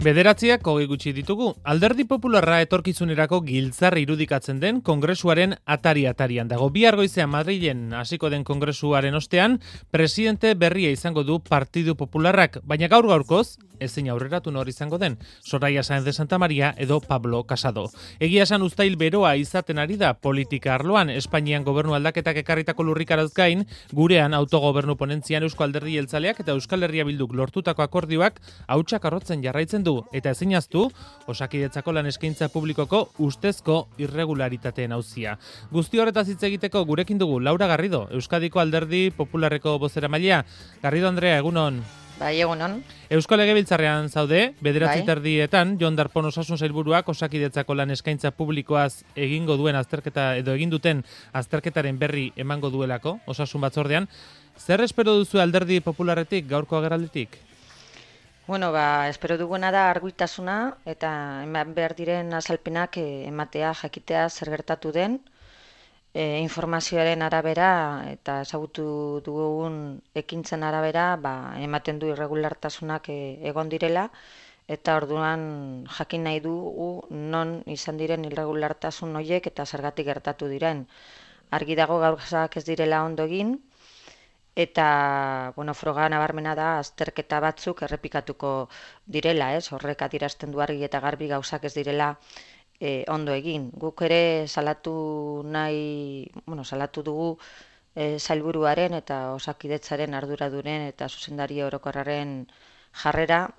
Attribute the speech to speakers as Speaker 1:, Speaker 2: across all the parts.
Speaker 1: Bederatziak hogei gutxi ditugu. Alderdi Popularra etorkizunerako giltzar irudikatzen den kongresuaren atari-atarian dago. Bihar goizean Madrilen hasiko den kongresuaren ostean, presidente berria izango du Partidu Popularrak, baina gaur-gaurkoz, ezin aurreratu nor izango den, Soraya Sáenz de Santa María edo Pablo Casado. Egia esan uztail beroa izaten ari da politika arloan, Espainian gobernu aldaketak ekarritako lurrikaraz gain, gurean autogobernu ponentzian Eusko Alderdi Jeltzaleak eta Euskal Herria Bilduk lortutako akordioak hautsak arrotzen jarraitzen du, eta ezinaztu, Osakidetzako lan eskaintza publikoko ustezko irregularitateen auzia. Guzti horretaz hitz egiteko gurekin dugu Laura Garrido, Euskadiko Alderdi Popularreko bozeramailea. Garrido Andrea, egunon.
Speaker 2: Bai, egunon.
Speaker 1: Eusko Legebiltzarrean zaude, 9:30 Jon Darpón Osasun Sailburuak Osakidetzako lan eskaintza publikoaz egingo duen azterketa edo egin duten azterketaren berri emango duelako Osasun Batzordean. Zer espero duzu Alderdi Popularretik gaurko agerralditik?
Speaker 2: Bueno, espero duguna da argitasuna eta eman behar diren azalpenak ematea, jakitea zer gertatu den, informazioaren arabera eta ezagutu dugun ekintzen arabera ematen du irregulartasunak egon direla, eta orduan jakin nahi dugu non izan diren irregulartasun horiek eta zergatik gertatu diren. Argi dago gauzak ez direla ondo egin, eta froga nabarmena da azterketa batzuk errepikatuko direla, horrek adierazten du argi eta garbi gauzak ez direla ondo egin. Guk ere salatu dugu sailburuaren eta Osakidetzaren arduradunen eta zuzendari orokorraren jarrera,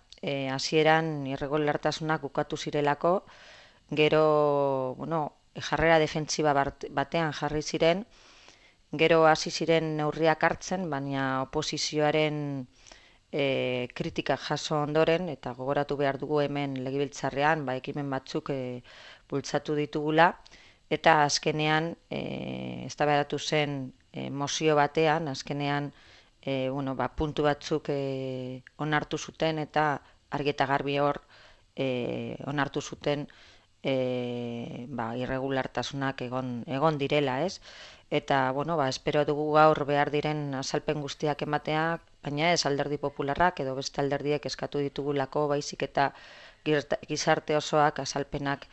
Speaker 2: hasieran irregulartasunak bukatu zirelako, gero jarrera defentsiba batean jarri ziren, gero hasi ziren neurriak hartzen, baina oposizioaren kritika jaso ondoren, eta gogoratu behar dugu hemen Legebiltzarrean ekimen batzuk bultzatu ditugula, eta azkenean eztabaidatu zen mozio batean, azkenean puntu batzuk onartu zuten eta argi eta garbi hor onartu zuten irregulartasunak egon direla, Eta, espero dugu gaur behar diren azalpen guztiak ematea, baina ez Alderdi Popularrak edo beste alderdiek eskatu ditugulako, baizik eta gizarte osoak azalpenak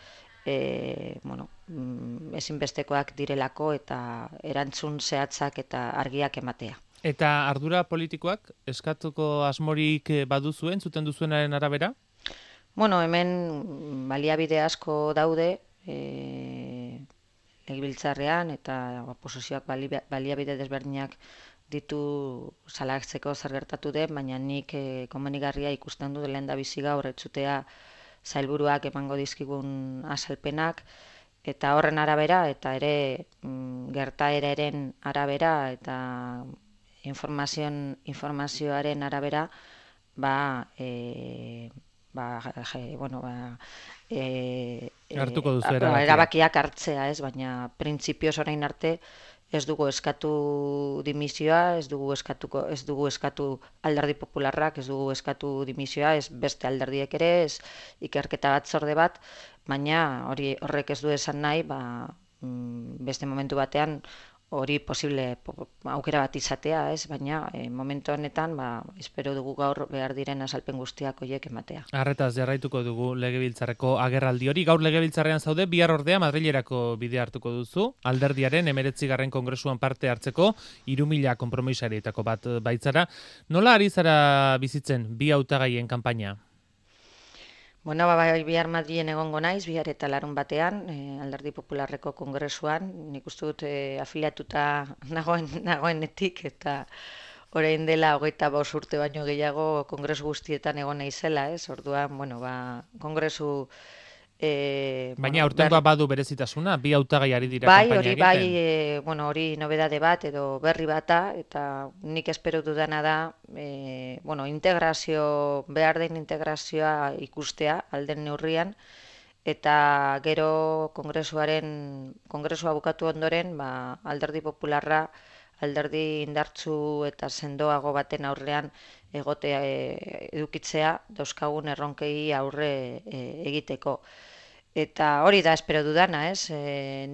Speaker 2: ezinbestekoak direlako eta erantzun zehatzak eta argiak ematea.
Speaker 1: Eta ardura politikoak eskatuko asmorik baduzuen, zuten duzuenaren arabera?
Speaker 2: Hemen baliabide asko daude, Legebiltzarrean eta oposizioak baliabide desberdinak ditu salatzeko zer gertatu den, baina nik komenigarria ikusten dut lehendabizi gaur entzutea sailburuak emango dizkigun azalpenak, eta horren arabera eta ere gertaeraren arabera eta informazioaren arabera
Speaker 1: hartuko duzu
Speaker 2: erabakiak hartzea, baina printzipioz orain arte ez dugu eskatu dimisioa, ez dugu eskatu Alderdi Popularrak, ez dugu eskatu dimisioa, ez beste alderdiek ere, ez ikerketa batzorde bat, baina horrek ez du esan nahi, beste momentu batean hori posible aukera bat izatea, baina momentu honetan espero dugu gaur behar diren azalpen guztiak horiek ematea.
Speaker 1: Arretaz jarraituko dugu Legebiltzarreko agerraldi hori. Gaur Legebiltzarrean zaude, bihar ordea Madrilerako bidea hartuko duzu. Alderdiaren 19. Kongresuan parte hartzeko 3.000 konpromisarietako bat baitzara. Nola ari zara bizitzen bi hautagaien kanpaina?
Speaker 2: Bihar Madrilen egongo naiz, bihar eta larun batean, Alderdi Popularreko kongresuan, nik uste dut afiliatuta nagoenetik, eta orain dela 25 urte baino gehiago kongresu guztietan egon naizela, orduan, kongresu...
Speaker 1: Baina aurtengoa badu berezitasuna, bi hautagai ari dira kanpaina egiten.
Speaker 2: Hori nobedade bat edo berri bata, eta nik espero dudana da, behar den integrazioa ikustea alden neurrian, eta gero kongresua bukatu ondoren, Alderdi Popularra, alderdi indartsu eta sendoago baten aurrean edukitzea dauzkagun erronkei aurre egiteko. Eta hori da espero dudana, ez?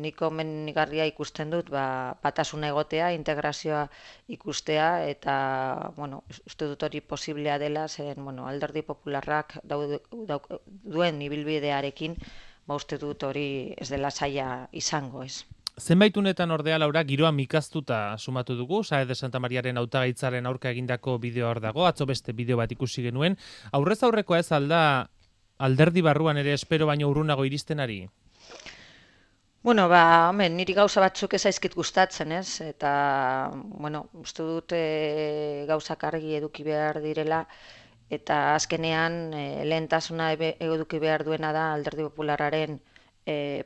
Speaker 2: Nik komenigarria ikusten dut, batasuna egotea, integrazioa ikustea, eta, bueno, uste dut hori posiblea dela, zeren, bueno, Alderdi Popularrak duen ibilbidearekin, uste dut hori ez dela zaila izango, ez?
Speaker 1: Zenbait unetan ordea, Laura, giroa mikaztuta sumatu dugu, Saez de Santa Mariaren hautagaitzaren aurka egindako bideoa hor dago, atzo beste bideo bat ikusi genuen. Aurrez aurrekoa ez alda alderdi barruan ere espero baino urrunago iristen ari?
Speaker 2: Bueno, hemen, niri gauza batzuk ez zaizkit gustatzen, ez? Eta, bueno, uste dut gauzak argi eduki behar direla, eta azkenean lehentasuna eduki behar duena da Alderdi Popularraren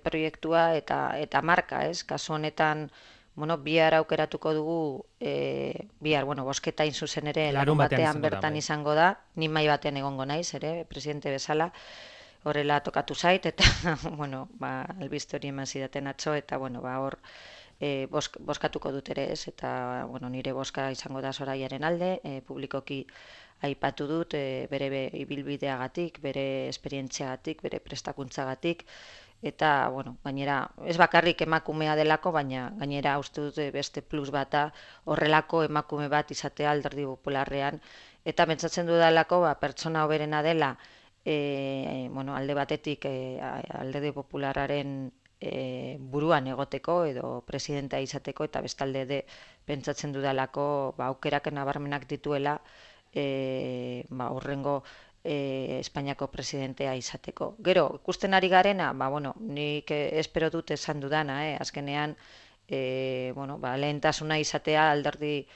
Speaker 2: proiektua eta marka, ez? Kasu honetan, bueno, bihar aukeratuko dugu, bihar, bueno, bozketa zuzen ere larun batean bertan izango da, ni mahai batean egongo naiz, ere, presidente bezala, horrela tokatu zait, eta, bueno, albiste hori eman zidaten atzo, eta, bueno, hor bozkatuko dut ere ez, eta, bueno, nire bozka izango da Soraiaren alde, publikoki aipatu dut, bere ibilbideagatik, bere esperientziagatik, bere prestakuntzagatik, eta, bueno, gainera, ez bakarrik emakumea delako, baina gainera uste dut beste plus bata horrelako emakume bat izatea Alderdi Popularrean, eta pentsatzen dudalako, pertsona hoberena dela, bueno, alde batetik Alderdi Popularraren buruan egoteko edo presidentea izateko, eta bestalde pentsatzen dudalako aukerak nabarmenak dituela horrengo Espainiako presidentea izateko. Gero, ikusten ari garena, bueno, nik espero dut esan dudana, azkenean, bueno, lehentasuna izatea Alderdi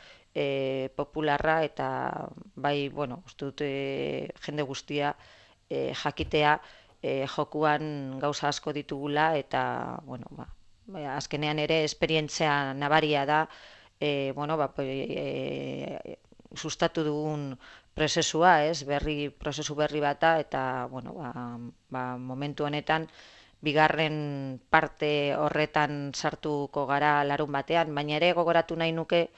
Speaker 2: Popularra, eta bai, bueno, uste dut jende guztia jakitea jokuan gauza asko ditugula, eta, bueno, azkenean ere esperientzia nabaria da, bueno, sustatu dugun prozesua, ez, prozesu berri bata, eta, bueno, momentu honetan, bigarren parte horretan sartuko gara larun batean, baina ere gogoratu nahi nuke,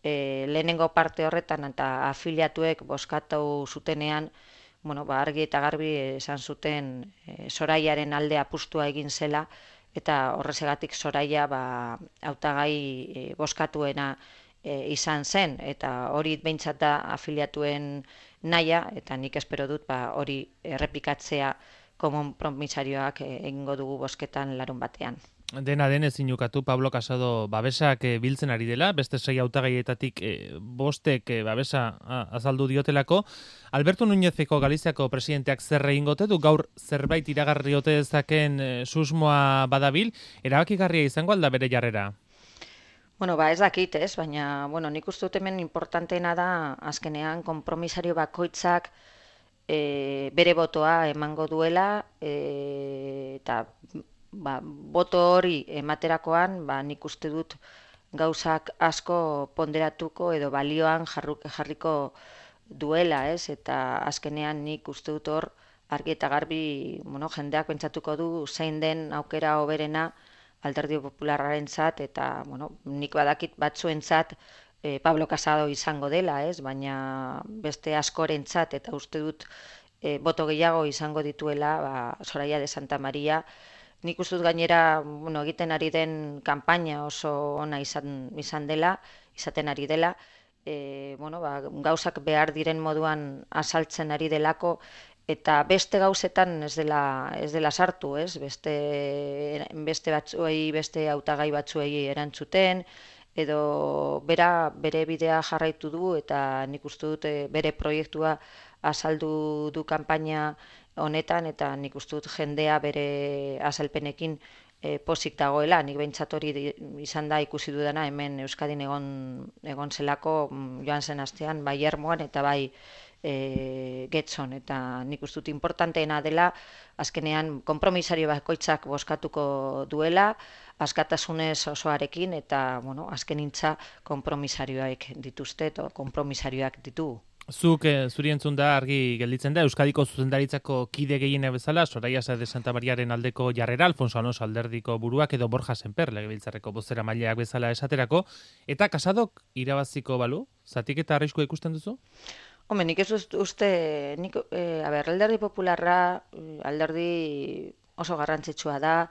Speaker 2: lehenengo parte horretan eta afiliatuek bozkatu zutenean, bueno, argi eta garbi esan zuten Soraiaren alde apustua egin zela, eta horrezegatik Soraia hautagai bozkatuena izan zen, eta hori behintzat da afiliatuen nahia, eta nik espero dut hori errepikatzea konpromisarioak egingo dugu bozketan larun batean.
Speaker 1: Dena den ezin ukatu Pablo Casado babesak biltzen ari dela, beste 6 hautagaietatik bostek babesa azaldu diotelako. Alberto Núñezeko Galiziako presidenteak zer egingo ote du, gaur zerbait iragarri ote dezaken susmoa badabil, erabakigarria izango alda bere jarrera?
Speaker 2: Bueno, ez dakit, ez, baina, bueno, nik uste dut hemen importanteena da, azkenean, konpromisario bakoitzak bere botoa emango duela, eta boto hori ematerakoan, nik uste dut gauzak asko ponderatuko edo balioan jarriko duela, ez, eta azkenean nik uste dut hor argi eta garbi, bueno, jendeak pentsatuko du zein den aukera hoberena Alderdi Popularrarentzat, eta, bueno, nik badakit batzuentzat Pablo Casado izango dela, ez, baina beste askorentzat, eta uste dut boto gehiago izango dituela Soraya de Santa Maria. Nik uste dut gainera, bueno, egiten ari den kanpaina oso ona izaten ari dela, bueno, gauzak behar diren moduan azaltzen ari delako, eta beste gauzetan ez dela sartu, ez? Beste batzuei, beste hautagai batzuei erantzuten, edo bere bidea jarraitu du, eta nik uste dut bere proiektua azaldu du kanpaina honetan, eta nik uste dut jendea bere azalpenekin pozik dagoela. Nik behintzat hori izan da ikusi dudana hemen Euskadin egon zelako joan zen astean, bai Ermuan eta bai Getxon, eta nik uste dut importanteena dela azkenean konpromisario bakoitzak bozkatuko duela, askatasunez osoarekin, eta, bueno, azkenintza konpromisarioak dituzte, eta konpromisarioak ditugu.
Speaker 1: Zuk zuri entzun da argi gelditzen da, Euskadiko zuzendaritzako kide gehiena bezala, Soraya Saez de Santa Mariaren aldeko jarrera, Alfonso Alonso alderdiko buruak, edo Borja Sémper legebiltzarreko bozeramaileak bezala esaterako, eta Casadok irabaziko balu, zatik eta arriskua ikusten duzu?
Speaker 2: Nik ez uste, Alderdi Popularra, alderdi oso garrantzitsua da,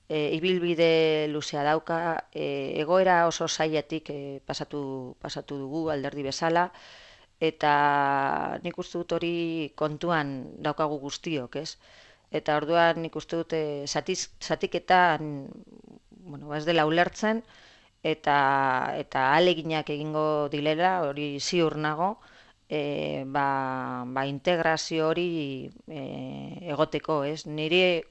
Speaker 2: ibilbide luzea dauka, egoera oso zailetik pasatu dugu alderdi bezala, eta nik uste dut hori kontuan daukagu guztiok, ez? Eta orduan nik uste dut zatiketan, bueno, ez dela ulertzen, eta ahaleginak egingo dilela, hori ziur nago, integrazio hori egoteko, ez? Nire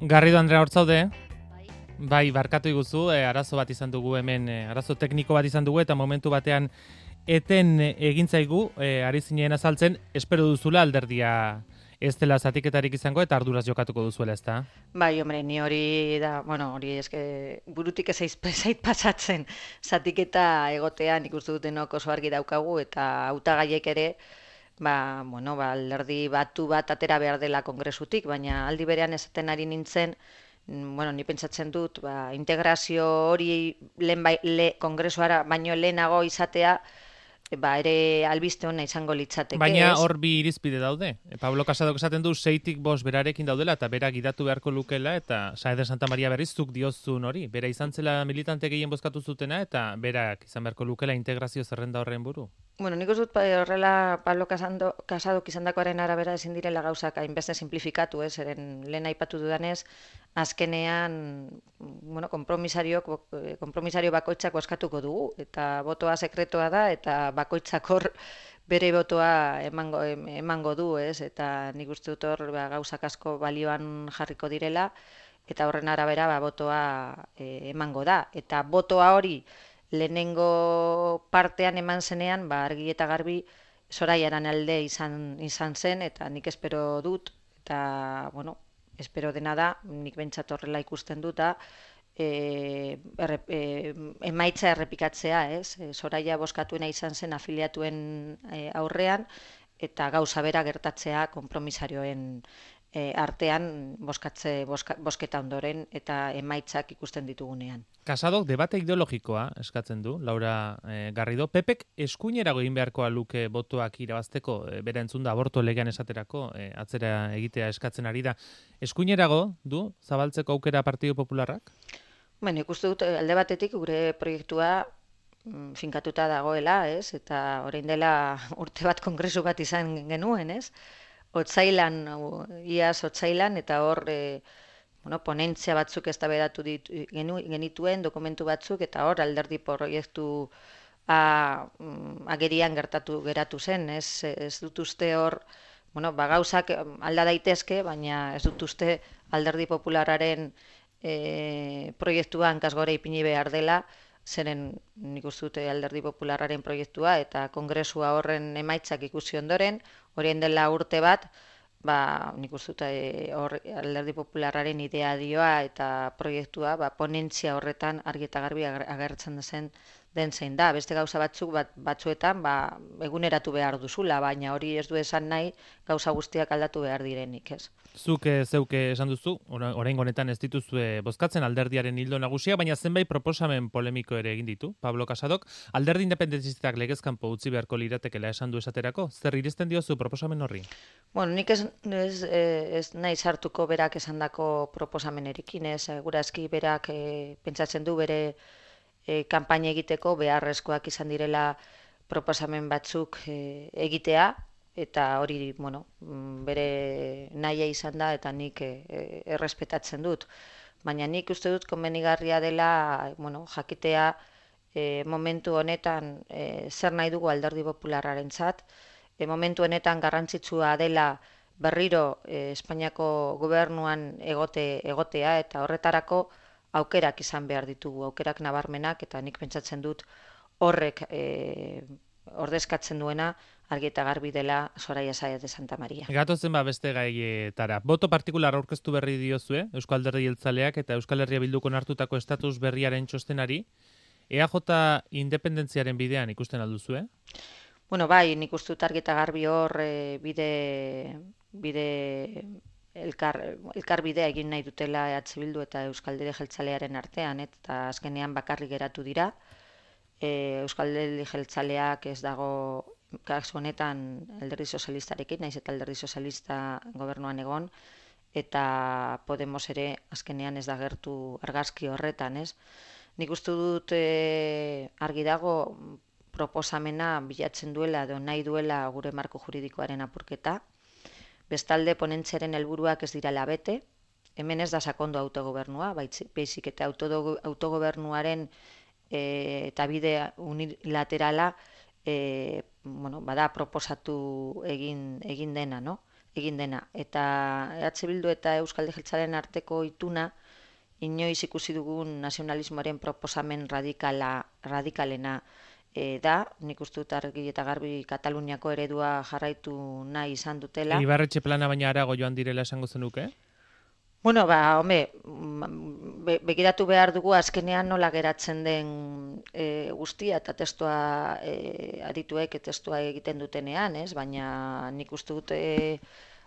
Speaker 1: Garrido Andrea hortzaude? Bai, barkatu iguzu, arazo bat izan dugu hemen, arazo tekniko bat izan dugu, eta momentu batean eten egin zaigu, ari zinen azaltzen, espero duzula alderdia ez dela zatiketarik izango eta arduraz jokatuko duzuela, ezta?
Speaker 2: Bai, hombre, ni hori da, bueno, hori eske burutik ez zait pasatzen zatiketa egotean ikustu dutenok oso argi daukagu eta hautagaiek ere bueno, alderdi batu bat atera behar dela kongresutik, baina aldi berean esaten ari nintzen, bueno, ni pentsatzen dut, integrazio hori kongresuara baino lehenago izatea, ere albiste hona izango litzateke.
Speaker 1: Baina hor bi irizpide daude. Pablo Casadok esaten du 6tik 5 berarekin daudela eta bera gidatu beharko lukela eta Saeder Santa Maria berriz zuk diozun hori. Bera izan zela militante gehien bozkatu zutena eta berak izan beharko lukela integrazio zerrenda horren buru.
Speaker 2: Bueno, nik uste dut horrela Pablo Casadok izandakoaren arabera ezin direla gauzak hainbeste simplifikatu, eren lehen aipatu dudanez, azkenean, bueno, konpromisario bakoitzak bozkatuko dugu, eta botoa sekretoa da, eta bakoitzak hor bere botoa emango du, ez? Eta nik uste dut hor gauzak asko balioan jarriko direla, eta horren arabera botoa emango da. Eta botoa hori lehenengo partean eman zenean, argi eta garbi Soraiaren alde izan zen, eta nik espero dut, eta, bueno, espero dena da, nik bentsat horrela ikusten dut, emaitza errepikatzea, ez? Soraia bozkatuena izan zen afiliatuen aurrean, eta gauza bera gertatzea konpromisarioen artean bozketa ondoren eta emaitzak ikusten ditugunean.
Speaker 1: Casadok debate ideologikoa eskatzen du, Laura Garrido. Pepek eskuinerago egin beharkoa luke botoak irabazteko, bera entzun da aborto legean esaterako, atzera egitea eskatzen ari da. Eskuinerago du zabaltzeko aukera Partido Popularrak?
Speaker 2: Bueno, ikuste dut alde batetik gure proiektua finkatuta dagoela, ez? Eta orain dela urte bat kongresu bat izan genuen, ez? Iaz otsailan, eta hor ponentzia batzuk eztabaidatu genituen, dokumentu batzuk, eta hor alderdi proiektu agerian geratu zen, ez dut uste hor, gauzak alda daitezke, baina ez dut uste alderdi populararen proiektuan kasgore ipini behar dela, zeren nik uste dute alderdi populararen proiektua eta kongresua horren emaitzak ikusi ondoren, horien dela urte bat, nik uste dute alderdi populararen ideadioa eta proiektua ponentzia horretan argi eta garbi agertzen den zein da. Beste gauza batzuetan eguneratu behar duzula, baina hori ez du esan nahi gauza guztiak aldatu behar direnik, ez?
Speaker 1: Zuk zeuke esan duzu, orain honetan ez dituzue bozkatzen alderdiaren hildo nagusia, baina zenbait proposamen polemiko ere egin ditu, Pablo Casadok. Alderdi independentistak legezkanpo utzi beharko liratekela esan du esaterako, zer irizten diozu proposamen horri?
Speaker 2: Bueno, nik ez nahi sartuko berak esandako proposamenerekin, ez, segurazki berak pentsatzen du bere kanpaina egiteko beharrezkoak izan direla proposamen batzuk egitea, eta hori, bere nahia izan da, eta nik errespetatzen dut. Baina nik uste dut konbenigarria dela, jakitea momentu honetan zer nahi dugu alderdi popularrarentzat, momentu honetan garrantzitsua dela berriro Espainiako gobernuan egotea eta horretarako aukerak izan behar ditugu, aukerak nabarmenak, eta nik pentsatzen dut horrek ordezkatzen duena argi eta garbi dela Soraya Sáez de Santa María.
Speaker 1: Gatozen beste gaietara. Boto partikular aurkeztu berri diozue, Eusko Alderdi Jeltzaleak eta Euskal Herria Bilduk onartutako estatus berriaren txostenari. EAJ independentziaren bidean ikusten alduzue?
Speaker 2: Bueno, bai, nik uste dut argi eta garbi hor elkar bidea egin nahi dutela EH Bildu eta Euskal Alderdi Jeltzalearen artean, eta azkenean bakarrik geratu dira. Euskal Alderdi Jeltzaleak ez dago kasu honetan Alderdi Sozialistarekin, naiz eta Alderdi Sozialista gobernuan egon, eta Podemos ere azkenean ez da gertu argazki horretan, ez? Nik uste dut argi dago proposamena bilatzen duela edo nahi duela gure marko juridikoaren apurketa. Bestalde ponentziaren helburuak ez direla bete, hemen ez da sakondu autogobernua, baizik eta autogobernuaren eta bide unilaterala bada proposatu egin dena, no? Egin dena. Eta EH Bildu eta Euskal Alderdi Jeltzalearen arteko ituna inoiz ikusi dugun nazionalismoaren proposamen radikalena da, nik uste dut argi eta garbi Kataluniako eredua jarraitu nahi izan dutela.
Speaker 1: Ibarretxe plana baina arago joan direla esango zenuke?
Speaker 2: Bueno, begiratu behar dugu azkenean nola geratzen den guztia eta testua adituek testua egiten dutenean, ez? Baina nik uste dut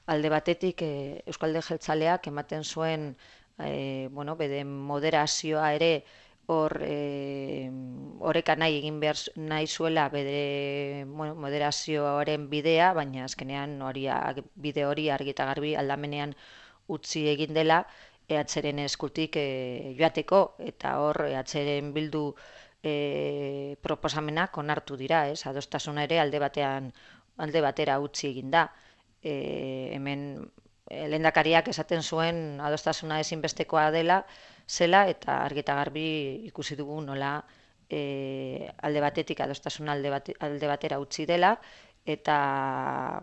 Speaker 2: alde batetik Euskal Alderdi Jeltzaleak ematen zuen bere moderazioa ere oreka nahi egin behar nahi zuela bere moderazioaren bidea, baina azkenean bide hori argi eta garbi aldamenean utzi egin dela EHren eskutik joateko, eta hor EHren Bildu proposamenak onartu dira, ez? Adostasuna ere alde batera utzi egin da. Hemen lehendakariak esaten zuen adostasuna ezinbestekoa zela, eta argi eta garbi ikusi dugu nola alde batetik adostasuna alde batera utzi dela, eta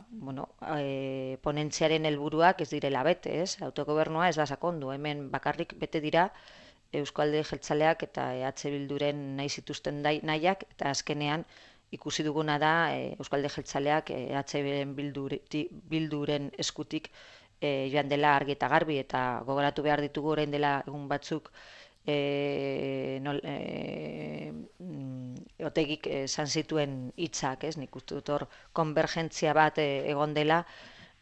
Speaker 2: ponentziaren helburuak ez direla bete, ez? Autogobernua ez da sakondu, hemen bakarrik bete dira Eusko Alderdi Jeltzaleak eta EH Bilduren nahi zituzten nahiak, eta azkenean ikusi duguna da Eusko Alderdi Jeltzaleak EH Bilduren eskutik joan dela argi eta garbi, eta gogoratu behar ditugu orain dela egun batzuk Otegik esan zituen hitzak, ez? Nik uste dut hor konvergentzia bat egon dela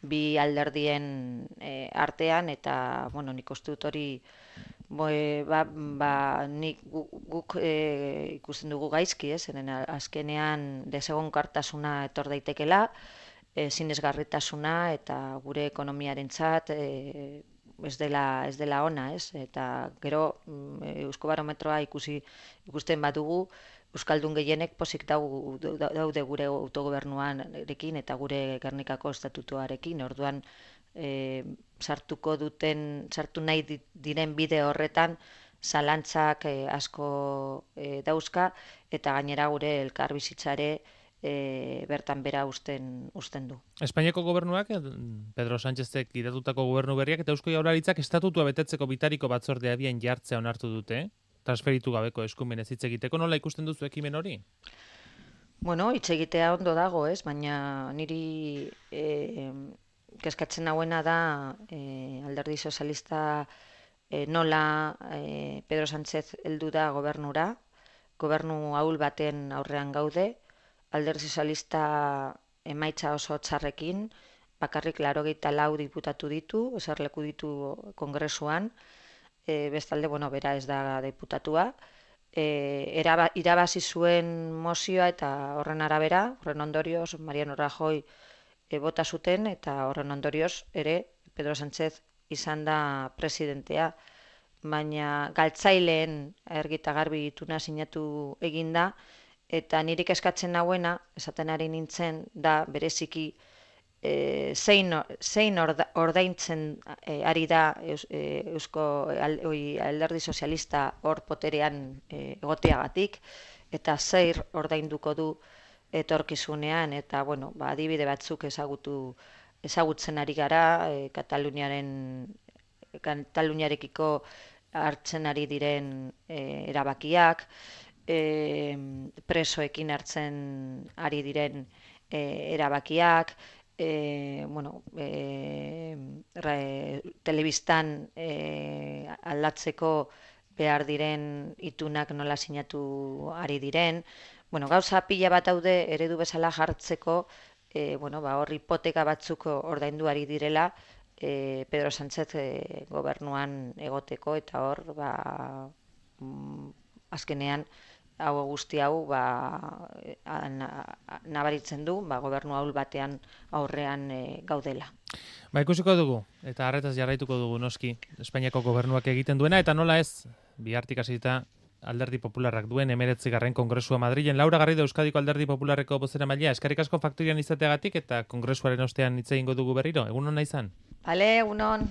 Speaker 2: bi alderdien artean, eta nik uste dut hori guk ikusten dugu gaizki, ez? Azkenean desegonkortasuna etor daitekela, sinesgarritasuna, eta gure ekonomiarentzat ez dela ona, ez? Eta gero Euskobarometroa ikusten badugu, Euskaldun gehienek pozik daude gure autogobernuarekin eta gure Gernikako estatutuarekin. Orduan sartu nahi diren bide horretan zalantzak asko dauzka, eta gainera gure elkarbizitzare bertan bera usten du.
Speaker 1: Espainiako gobernuak, Pedro Sánchezek idatutako gobernu berriak eta Eusko Jaurlaritzak estatutua betetzeko bitariko batzordea abian jartzea onartu dute, transferitu gabeko eskumenez hitz egiteko. Nola ikusten duzu ekimen hori?
Speaker 2: Bueno, hitz egitea ondo dago, ez? Baina niri kezkatzen hauena da Alderdi Sozialista nola Pedro Sánchez heldu da gobernura, gobernu ahul baten aurrean gaude, Alderdi Sozialista emaitza oso txarrekin, bakarrik 84 diputatu ditu, eserleku ditu kongresuan, bestalde, bera ez da diputatua, irabazi zuen mozioa, eta horren arabera, horren ondorioz, Mariano Rajoy bota zuten, eta horren ondorioz ere Pedro Sánchez izan da presidentea, baina galtzaileen argi eta garbi ituna sinatu eginda, eta nirik eskatzen hauena, esaten ari nintzen, da bereziki zein ordaintzen ari da Eusko Alderdi Sozialista hor poterean egoteagatik, eta zer ordainduko du etorkizunean, eta, bueno, ba, adibide batzuk ezagutzen ari gara, Kataluniarekiko hartzen ari diren erabakiak, presoekin hartzen ari diren erabakiak, bueno, telebistan aldatzeko behar diren itunak nola sinatu ari diren. Bueno, gauza pila bat daude eredu bezala jartzeko, bueno, ba, hor hipoteka batzuk ordaindu ari direla, Pedro Sánchez gobernuan egoteko, eta hor, ba, azkenean, hau guzti hau, ba, nabaritzen du, ba, gobernu ahul batean aurrean gaudela.
Speaker 1: Ba, ikusiko dugu, eta harretaz jarraituko dugu noski, Espainiako gobernuak egiten duena, eta nola ez, bihartik hasita Alderdi Popularrak duen 19. Kongresua Madrilen. Laura Garrido, Euskadiko Alderdi Popularreko bozeramailea, eskerrik asko faktorian izateagatik, eta kongresuaren ostean hitz egingo dugu berriro. Egun hona izan?
Speaker 2: Bale, egun hon.